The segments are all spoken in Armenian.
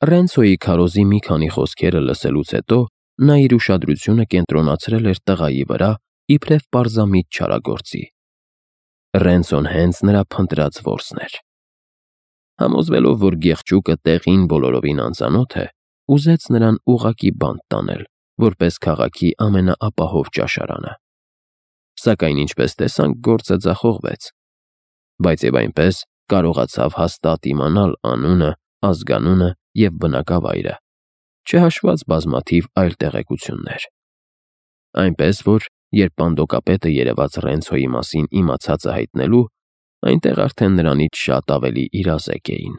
Ռենցոյի քարոզի մի քանի խոսքերը լսելուց հետո նա իր ուշադրությունը կենտրոնացրել էր տղայի վրա, իբրև պարզամիտ չարագործի։ Ռենցոն հենց նրա փնտրած որսն էր։ Համոզվելով, որ գեղջուկը տեղին բոլորովին անծանոթ է, ուզեց նրան ուղղակի բանտ տանել, որպես քաղաքի ամենաապահով ճաշարանը։ Սակայն ինչպես տեսանք, գործը ձախողվեց, բայց եւ այնպես կարողացավ հաստատ իմանալ անունը, ազգանունը եւ բնակավայրը, չհաշված բազմաթիվ այլ տեղեկություններ։ Այնպես որ, երբ պանդոկապետը երևաց Ռենցոյի մասին իմացածը հայտնելու, այնտեղ արդեն նրանից շատ ավելի իրազեկ էին։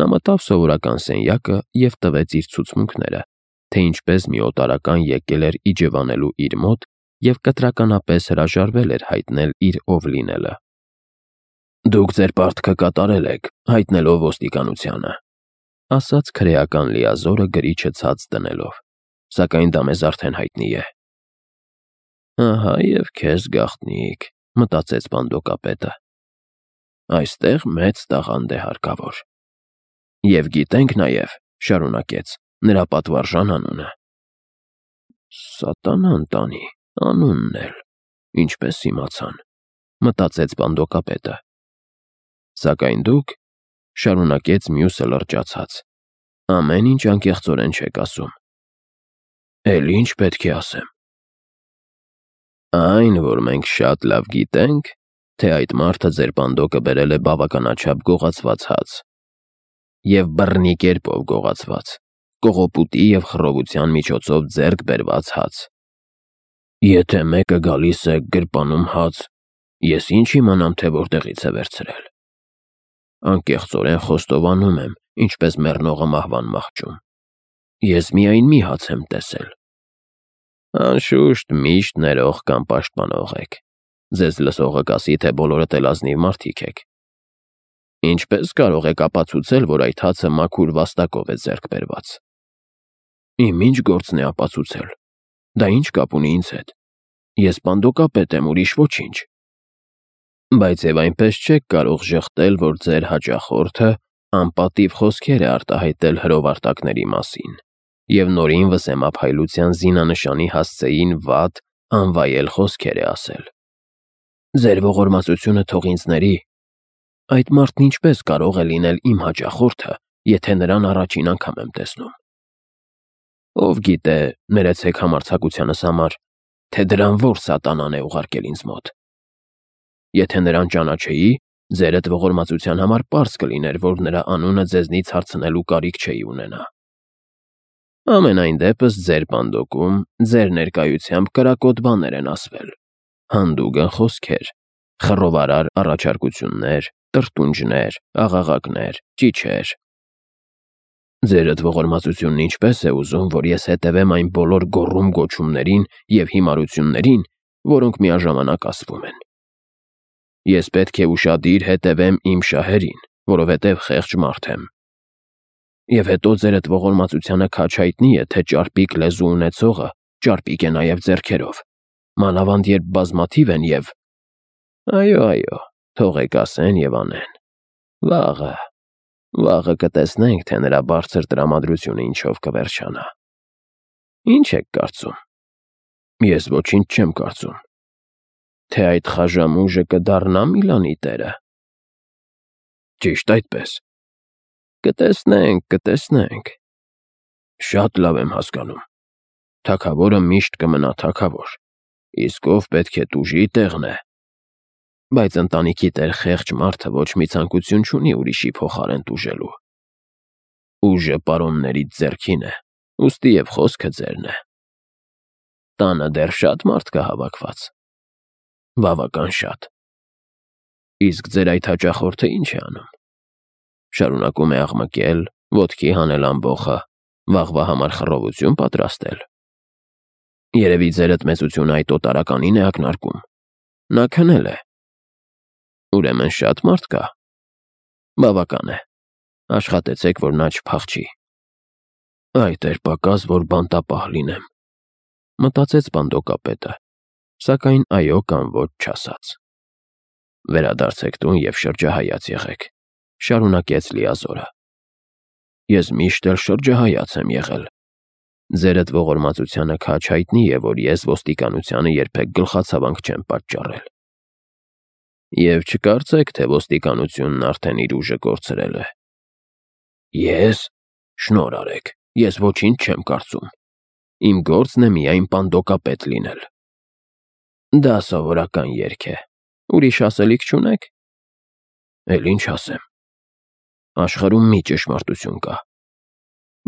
Նա մտավ սովորական սենյակը եւ տվեց իր ցուցմունքները, թե ինչպես մի օտարական եկել էր իջևանելու իր մոտ եւ կտրականապես հրաժարվել էր հայտնել իր ով լինելը։ «Դուք ձեր պարտքը կատարել եք, հայտնելով ոստիկանությանը», ասաց քրեական լիազորը գրիչը ցած դնելով, «սակայն դա մեզ արդեն հայտնի է»։ «Ահա եւ քեզ գաղտնիք», մտածեց պանդոկապետը։ «Այստեղ մեծ տաղանդ է հարկավոր»։ «Եվ գիտենք նաեւ», շարունակեց, «նրա պատվարժան անունը»։ «Սատանան տանի, անունն էլ, ինչպես իմացան», մտածեց պանդոկապետը։ «Սակայն դուք», շարունակեց մյուսը լրջացած, «ամեն ինչ անկեղծորեն չեք ասում»։ «Էլ ինչ պետք է ասեմ»։ «Այն, որ մենք շատ լավ գիտենք, թե այդ մարդը ձեր պանդոկը բերել է բավականաչափ գողացված հաց, եւ բռնի կերպով գողացված, կողոպուտի եւ խռովության միջոցով ձեռք բերված հաց։ Եթե մեկը գալիս է գրպանում հաց, ես ինչ իմանամ, թե որտեղից է վերցրել։ Անկեղծորեն խոստովանում եմ, ինչպես մեռնողը մահվան մահճում։ Ես միայն մի հաց եմ տեսել։ Անշուշտ միշտ ներող կամ պաշտպանող եք։ Ձեզ լսողը կասի, թե բոլորդ էլ ազնիվ մարդիկ եք։ Ինչպես կարող եք ապացուցել, որ այդ հացը մաքուր վաստակով է ձեռք բերված։ Իմ ինչ գործն է ապացուցել։ Դա ինչ կապ ունի ինձ հետ։ Ես պանդոկապետ եմ, ուրիշ ոչինչ։ Բայց եւ այնպես չեք կարող ժխտել, որ ձեր հաճախորդը անպատիվ խոսքեր է արտահայտել հրովարտակների մասին եւ նորին վսեմափայլության զինանշանի հասցեին վատ, անվայել խոսքեր է ասել։ Ձեր ողորմածությունը թող ինձ ների։ Այդ մարդն ինչպես կարող է լինել իմ հաճախորդը, եթե նրան առաջին անգամ եմ տեսնում։ Ով գիտե, ներեցեք համարձակությանս համար, թե դրան որ սատանան է ուղարկել ինձ մոտ։ Եթե նրան ճանաչեի, ձերդ ողորմածության համար պարզ կլիներ, որ նրա անունը ձեզնից հարցնելու կարիք չէի ունենա։ Ամենայն դեպս ձեր պանդոկում, ձեր ներկայությամբ կրակոտ բաներ են ասվել, հանդուգն խոսքեր, խռովարար առաջարկություններ, տրտունջներ, աղաղակներ, ճիչեր։ Ձերդ ողորմածությունն ինչպես է ուզում, որ ես հետևեմ այն բոլոր գոռում-գոչումներին եւ հիմարություններին, որոնք միաժամանակ ասվում են։ Ես պետք է ուշադիր հետևեմ իմ շահերին, որովհետև խեղճ մարդ եմ։ Եվ հետո ձերդ ողորմածությանը քաջ հայտնի է, թե ճարպիկ լեզու ունեցողը ճարպիկ է նաև ձեռքերով, մանավանդ երբ բազմաթիվ են եւ… Այո, թողեք ասեն եւ անեն։ Վաղը կտեսնենք, թե նրա բարձր տրամադրությունը ինչով կվերջանա։ Ինչ եք կարծում։ Ես ոչինչ չեմ կարծում։ Թե այդ խաժամուժը կդառնա Միլանի տերը։ Ճիշտ այդպես։ Կտեսնենք։ Շատ լավ եմ հասկանում։ Թագավորը միշտ կմնա թագավոր, իսկ ով պետք է տուժի տեղն է։ Բայց ընտանիքի տեր խեղճ մարդը ոչ մի ցանկություն չունի ուրիշի փոխարեն տուժելու։ Ուժը պարոններից ձեռքին է, ուստի եւ խոսքը ձերն է։ Տանը դեռ շատ մարդ կա հավաքված։ Բավական շատ։ Իսկ ձեր այդ հաճախորդը ինչ է անում։ Շարունակում է աղմկել, ոտքի հանել ամբոխը, վաղվա համար խռովություն պատրաստել։ Երևի ձերդ մեծությունը այդ օտարականին է ակնարկում։ Նա քնել է։ Ուրեմն շատ մարդ կա։ Բավական է։ Աշխատեցեք, որ նա չփախչի։ Այդ էր պակաս, որ բանտապահ լինեմ, մտածեց պանդոկապետը, սակայն այո կամ ոչ չասաց։ Վերադարձեք տուն եւ շրջահայաց եղեք, շարունակեց լիազորը։ Ես միշտ էլ շրջահայաց եմ եղել։ Ձերդ ողորմածությանը քաջ հայտնի է, որ ես ոստիկանությանը երբեք գլխացավանք չեմ պատճառել։ Եվ չկարծեք, թե ոստիկանությունն արդեն իր ուժը կորցրել է։ Ես, շնորհ արեք, ես ոչինչ չեմ կարծում։ Իմ գործն է միայն պանդոկապետ լինել։ Դա սովորական երգ է։ Ուրիշ ասելիք չունեք։ Էլ ինչ ասեմ։ Աշխարհում մի ճշմարտություն կա։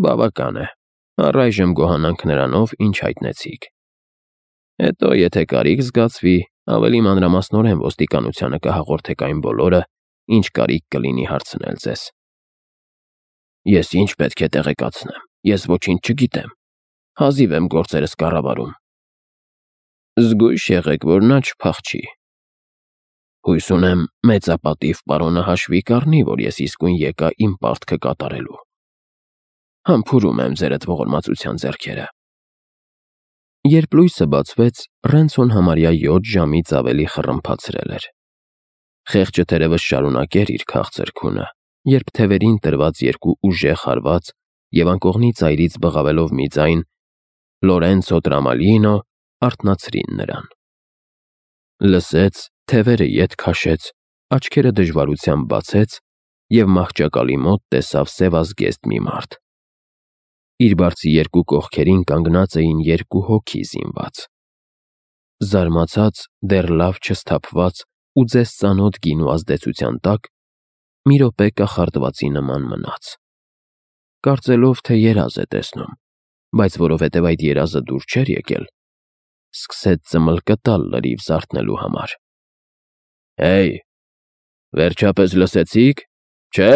Բավական է։ Առայժմ գոհանանք նրանով, ինչ հայտնեցիք։ Հետո, եթե կարիք զգացվի, ավելի մանրամասնորեն ոստիկանությանը կհաղորդեք այն բոլորը, ինչ կարիք կլինի հարցնել ձեզ։ Ես ինչ պետք է տեղեկացնեմ։ Ես ոչինչ չգիտեմ։ Հազիվ եմ գործերս կառավարում։ Զգույշ եղեք, որ նա չփախչի։ Հույս ունեմ, մեծապատիվ պարոնը հաշվի կառնի, որ ես իսկույն եկա իմ պարտքը կատարելու։ Համբուրում եմ ձերդ ողորմածության ձեռքերը։ Երբ լույսը բացվեց, Ռենցոն համարյա 7 ժամից ավելի խռմփացրել էր։ Խեղճը թերևս շարունակեր իր քաղցր քունը, երբ թևերին տրված երկու ուժեղ հարված եւ անկողնի ծայրից բղավելով մի ձայն Լորենցո Տրամալինո արթնացրին նրան։ Լսեց, թևերը ետ քաշեց, աչքերը դժվարությամբ բացեց եւ մահճակալի մոտ տեսավ սևազգեստ մի մարդ։ Իր բարձի երկու կողքերին կանգնած էին երկու հոգի զինված։ Զարմացած, դեռ լավ չսթափված ու ձեզ ծանոթ գինու ազդեցության տակ, մի րոպե կախարդվածի նման մնաց։ Կարծելով, թե երազ է տեսնում, բայց որովհետև այդ երազը դուր չէր եկել, սկսեց ծմլկը տալ լրիվ զարթնելու համար։ Հեյ, վերջապես լսեցիք, չէ՞։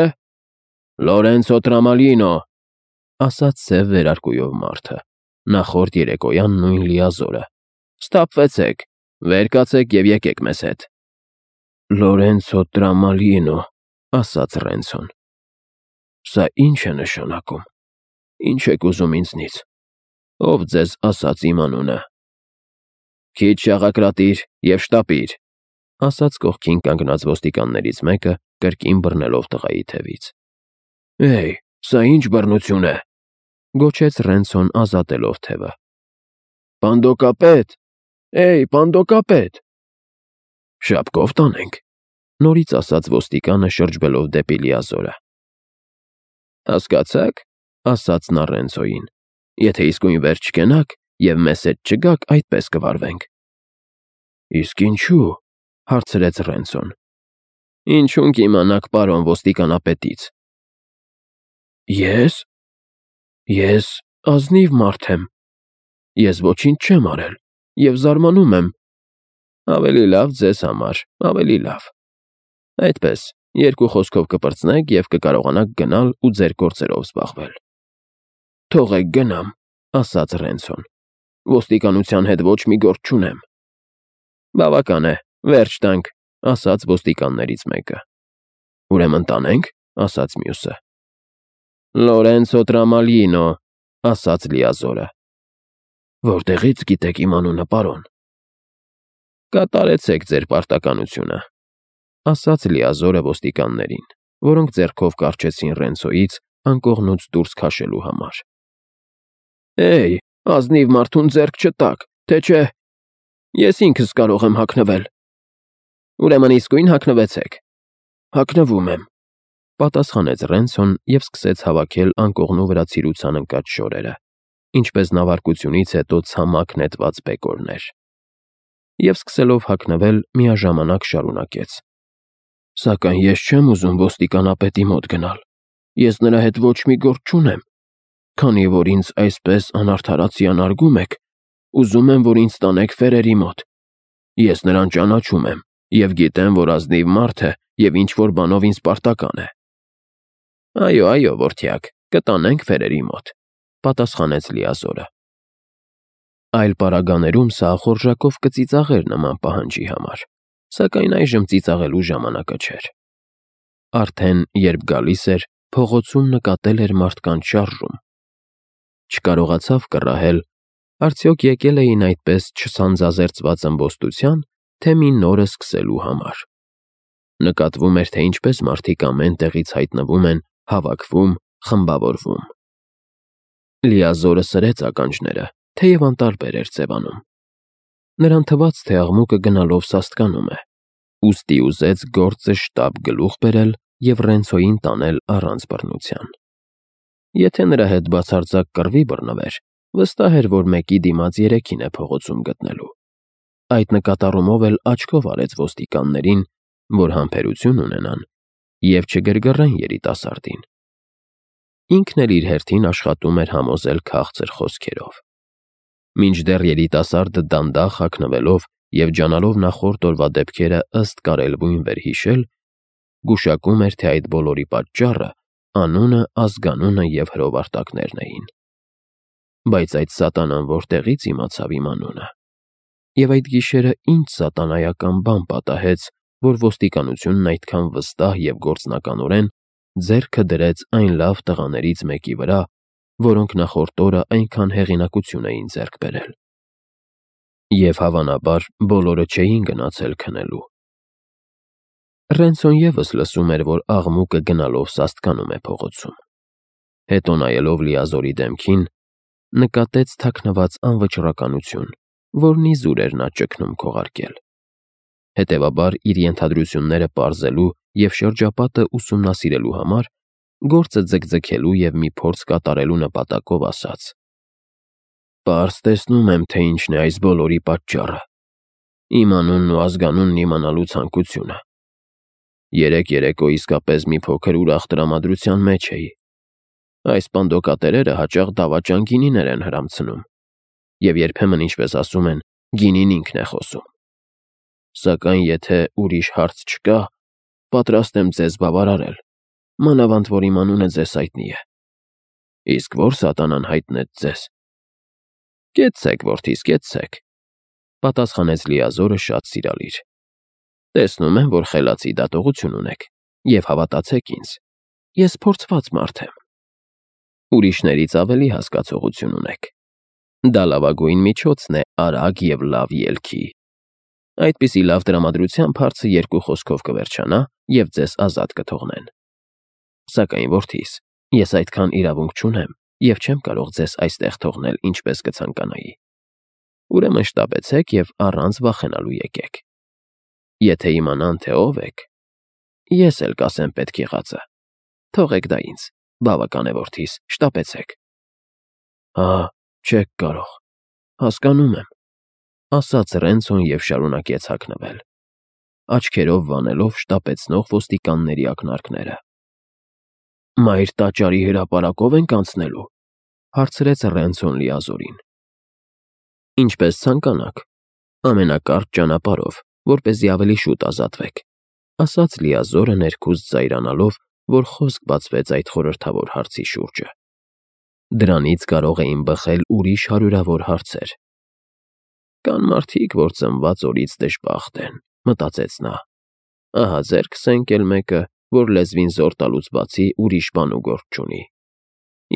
Լորենցո Տրամալինո, ասաց սև վերարկուով մարդը, նախորդ երեկոյան նույն լիազորը։ Սթափվեցեք, վեր կացեք եւ եկեք մեզ հետ։ Լորենցո Տրամալինո, ասաց Ռենցոն։ Սա ինչ է նշանակում։ Ինչ եք ուզում ինձնից։ Ով ձեզ ասաց իմ անունը։ Քիչ շաղակրատիր եւ շտապիր, ասաց կողքին կանգնած ոստիկաններից մեկը, կրկին բռնելով տղայի թևից։ Էй, սա ինչ բռնություն է, գոչեց Ռենցոն ազատելով թևը։ Պանդոկապետ, էй, պանդոկապետ։ Շապկով տանենք, նորից ասաց ոստիկանը շրջվելով դեպի լիազորը։ Հասկացաք, ասաց նա Ռենցոյին, եթե իսկույն վեր չկենաք եւ մեզ հետ չգաք, այդպես կվարվենք։ Իսկ ինչու, հարցրեց Ռենցոն։ Ինչուն կիմանաք պարոն ոստիկանապետից։ Ես ազնիվ մարդ եմ։ Ես ոչինչ չեմ արել եւ զարմանում եմ։ Ավելի լավ ձեզ համար, ավելի լավ։ Այդպես, երկու խոսքով կպրծնեք եւ կկարողանաք գնալ ու ձեր գործերով զբաղվել։ Թողեք գնամ, ասաց Ռենցոն։ Ոստիկանության հետ ոչ մի գործ չունեմ։ Բավական է, վերջ տանք, ասաց ոստիկաններից մեկը։ Ուրեմն տանենք, ասաց մյուսը։ Լորենցո Տրամալինո, ասաց լիազորը։ Որտեղից գիտեք իմ անունը, պարոն։ Կատարեցեք ձեր պարտականությունը, ասաց լիազորը ոստիկաններին, որոնք ձեռքով կառչեցին Ռենցոյից անկողնուց դուրս քաշելու համար։ Էй, ազնիվ մարդուն ձեռք չտաք, թե չէ։ Ես ինքս կարող եմ հագնվել։ Ուրեմն իսկույն հագնվեցեք։ Հագնվում եմ, պատասխանեց Ռենցոն եւ սկսեց հավաքել անկողնու վրա ցիրուցան ընկած շորերը, ինչպես նավարկությունից հետո ցամաք նետված բեկորներ։ Եվ սկսելով հագնվել, միաժամանակ շարունակեց. Սակայն ես չեմ ուզում ոստիկանապետի մոտ գնալ։ Ես նրա հետ ոչ մի գործ չունեմ։ Քանի որ ինձ այսպես անարդարացիան արգում եք, ուզում եմ, որ ինձ տանեք Ֆերերի մոտ։ Ես նրան ճանաչում եմ եւ գիտեմ, որ ազնիվ մարդ է եւ ինչ որ բանով ինձ պարտական է։ Այո, որդյակ, կտանենք Ֆերերի մոտ, պատասխանեց լիազորը։ Այլ պարագաներում սա ախորժակով կծիծաղեր նման պահանջի համար, սակայն այժմ ծիծաղելու ժամանակը չէր։ Արդեն երբ գալիս էր, փողոցում նկատել էր մարդկանց շարժում։ Չկարողացավ կռահել, արդյոք եկել էին այդպես չսանձազերծված ըմբոստության, թե մի նորը սկսելու համար։ Նկատվում էր, թե ինչպես մարդիկ ամեն տեղից հայտնվում են, հավաքվում, խմբավորվում։ Լիազորը սրեց ականջները, թեև անտարբեր էր ձևանում։ Նրան թվաց, թե աղմուկը գնալով սաստկանում է, ուստի ուզեց գործը շտապ գլուխ բերել և Ռենցոյին տանել առանց բռնության։ Եթե նրա հետ բացարձակ կռվի բռնվեր, վստահ էր, որ մեկի դիմաց երեքին է փողոցում գտնելու։ Այդ նկատառումով էլ աչքով արեց ոստիկաններին, որ համբերություն ունենան և չգրգռեն երիտասարդին։ Ինքն էլ իր հերթին աշխատում էր համոզել քաղցր խոսքերով։ Մինչդեռ երիտասարդը դանդաղ հագնվելով և ջանալով նախորդ օրվա դեպքերը ըստ կարելբույն վերհիշել, գուշակում էր, թե այդ բոլորի պատճառը անունը, ազգանունը և հրովարտակներն էին։ Բայց այդ սատանան որտեղից իմացավ իմ անունը։ Եվ այդ գիշերը ինչ սատանայական բան պատահեց, որ ոստիկանությունն այդքան վստահ և գործնականորեն ձեռքը դրեց այն լավ տղաներից մեկի վրա, որոնք նախորդ օրը այնքան հեղինակություն էին ձեռք բերել։ Եվ հավանաբար բոլորը չէին գնացել քնելու։ Ռենցոն ևս լսում էր, որ աղմուկը գնալով սաստկանում է փողոցում։ Հետո նայելով Լիազորի դեմքին, նկատեց թաքնված անվճռականություն, որն իզուր էր նա ճգնում քողարկել։ Հետևաբար իր ենթադրությունները պարզելու և շրջապատը ուսումնասիրելու համար գործը ձգձգելու և մի փորձ կատարելու նպատակով ասաց. «Պարզ տեսնում եմ, թե ինչն է այս բոլորի պատճառը. իմ անունն ու ազգանունն իմանալու ցանկությունը։ Երեկ երեկո իսկապես մի փոքր ուրախ տրամադրության մեջ էի։ Այս պանդոկատերերը հաճախ դավաճան գինիներ են հրամցնում, և երբեմն, ինչպես ասում են, գինին ինքն է խոսում։ Սակայն եթե ուրիշ հարց չկա, պատրաստ եմ ձեզ բավարարել, մանավանդ որ իմ անունը ձեզ հայտնի է։ Իսկ ո՞ր սատանան հայտնեց ձեզ»։ «Կեցցեք, որդիս, կեցցեք», պատասխանեց Լիազորը շատ սիրալիր։ «Տեսնում եմ, որ խելացի դատողություն ունեք, և հավատացեք ինձ, ես փորձված մարդ եմ։ Ուրիշներից ավելի հասկացողություն ունեք։ Դա լավագույն միջոցն է արագ և լավ ելքի։ Այդպիսի լավ տրամադրությամբ հարցը երկու խոսքով կվերջանա և ձեզ ազատ կթողնեն։ Սակայն, որդիս, ես այդքան իրավունք չունեմ և չեմ կարող ձեզ այստեղ թողնել, ինչպես կցանկանայի։ Ուրեմն շտապեցեք և առանց վախենալու եկեք։ Եթե իմանան, թե ով եք, ես էլ կասեմ պետք եղածը։ Թողեք դա ինձ, բավական է, որդիս, շտապեցեք»։ «Հա, չեք կարող, հասկանում եմ», ասաց Ռենցոն և շարունակեց հագնվել, աչքերով վանելով շտապեցնող ոստիկանների ակնարկները։ «Մայր տաճարի հրապարակո՞վ ենք անցնելու», հարցրեց Ռենցոն Լիազորին։ «Ինչպես ցանկանաք, ամենակարճ ճանապարհով, որպեսզի ավելի շուտ ազատվեք», ասաց Լիազորը ներքուստ զայրանալով, որ խոսք բացվեց այդ խորհրդավոր հարցի շուրջը։ Դրանից կարող էին բխել ուրիշ հարյուրավոր հարցեր։ «Կան մարդիկ, որ ծնված օրից դժբախտ են», մտածեց նա։ «Ահա ձեռքս ընկել մեկը, որ լեզվին զոր տալուց բացի ուրիշ բան ու գործ չունի։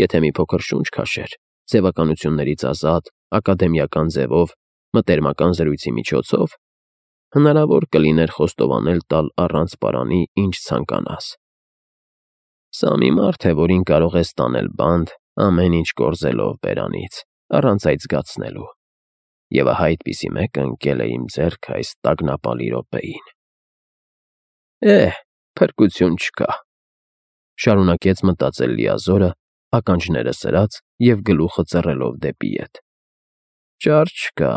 Եթե մի փոքր շունչ քաշեր, ձևականություններից ազատ, ակադեմիական ձևով, մտերմական զրույցի միջոցով, հնարավոր կլիներ խոստովանել տալ առանց պարանի, ինչ ցանկանաս։ Սա մի մարդ է, որին կարող ես տանել բանտ, ամեն ինչ կորզելով բերանից, առանց այդ զգացնելու։ Եվ ահա այդպիսի մեկը ընկել է իմ ձեռքը այս տագնապալի րոպեին։ Փրկություն չկա», շարունակեց մտածել Լիազորը, ականջները սրած և գլուխը ծռելով դեպի ետ։ «Ճար չկա,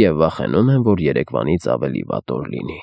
և վախենում եմ, որ երեկվանից ավելի վատ օր լինի»։